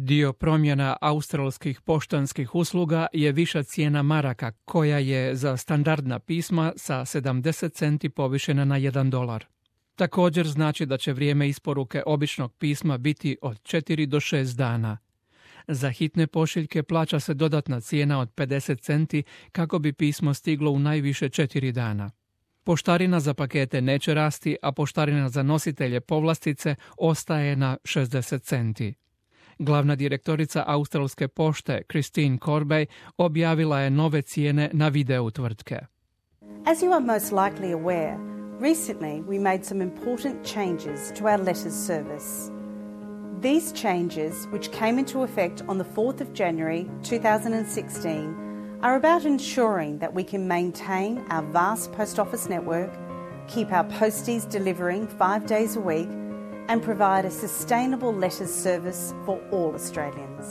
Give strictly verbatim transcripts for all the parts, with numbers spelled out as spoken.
Dio promjena australskih poštanskih usluga je viša cijena maraka, koja je za standardna pisma sa sedamdeset centi povišena na jedan dolar. Također znači da će vrijeme isporuke običnog pisma biti od četiri do šest dana. Za hitne pošiljke plaća se dodatna cijena od pedeset centi kako bi pismo stiglo u najviše četiri dana. Poštarina za pakete neće rasti, a poštarina za nositelje povlastice ostaje na šezdeset centi. Glavna direktorica australske pošte, Christine Corbey, objavila je nove cijene na videu tvrtke. As you are most likely aware, recently we made some important changes to our letters service. These changes, which came into effect on the fourth of January two thousand sixteen, are about ensuring that we can maintain our vast post office network, keep our posties delivering five days a week, and provide a sustainable letters service for all Australians.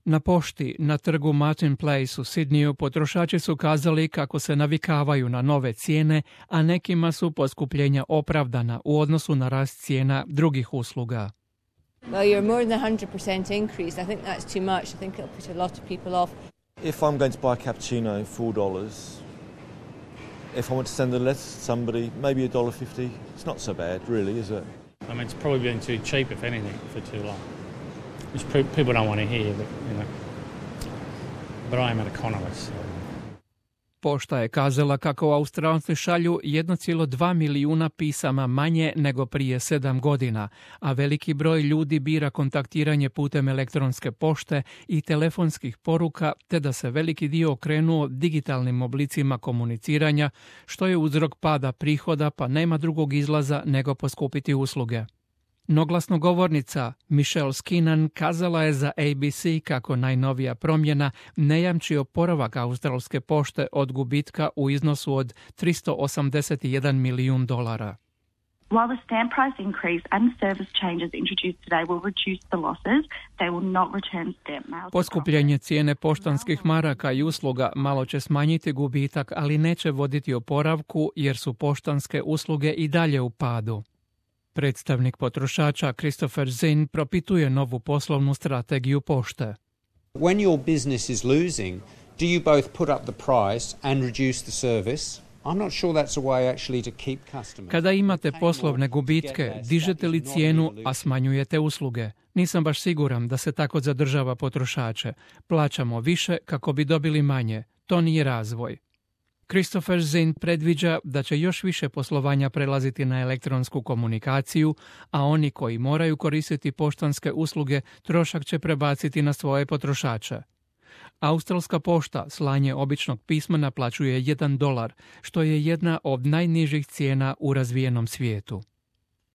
Na pošti na trgu Martin Place u Sidneyu potrošači su kazali kako se navikavaju na nove cijene, a nekima su poskupljenja opravdana u odnosu na rast cijena drugih usluga. Well, you're more than one hundred percent increase. I think that's too much. I think it'll put a lot of people off. If I'm going to buy a cappuccino, four dollars. If I want to send a letter to somebody, maybe a dollar fifty. It's not so bad, really, is it? I mean, it's probably been too cheap, if anything, for too long. Which people don't want to hear, but, you know. But I am an economist, so. Pošta je kazala kako Australci šalju jedan zarez dva milijuna pisama manje nego prije sedam godina, a veliki broj ljudi bira kontaktiranje putem elektronske pošte i telefonskih poruka, te da se veliki dio okrenuo digitalnim oblicima komuniciranja, što je uzrok pada prihoda, pa nema drugog izlaza nego poskupiti usluge. No glasnogovornica Michelle Skinnan kazala je za A B C kako najnovija promjena ne jamči oporavak australske pošte od gubitka u iznosu od tristo osamdeset jedan milijun dolara. While the stamp price increase and service changes introduced today will reduce the losses, they will not return stamp mail. Poskupljenje cijene poštanskih maraka i usluga malo će smanjiti gubitak, ali neće voditi oporavku jer su poštanske usluge i dalje u padu. Predstavnik potrošača Christopher Zinn propituje novu poslovnu strategiju pošte. When your business is losing, do you both put up the price and reduce the service? I'm not sure that's a way actually to keep customers. Kada imate poslovne gubitke, dižete li cijenu, a smanjujete usluge? Nisam baš siguran da se tako zadržava potrošače. Plaćamo više kako bi dobili manje. To nije razvoj. Christopher Zinn predviđa da će još više poslovanja prelaziti na elektronsku komunikaciju, a oni koji moraju koristiti poštanske usluge trošak će prebaciti na svoje potrošače. Australska pošta slanje običnog pisma naplaćuje jedan dolar, što je jedna od najnižih cijena u razvijenom svijetu.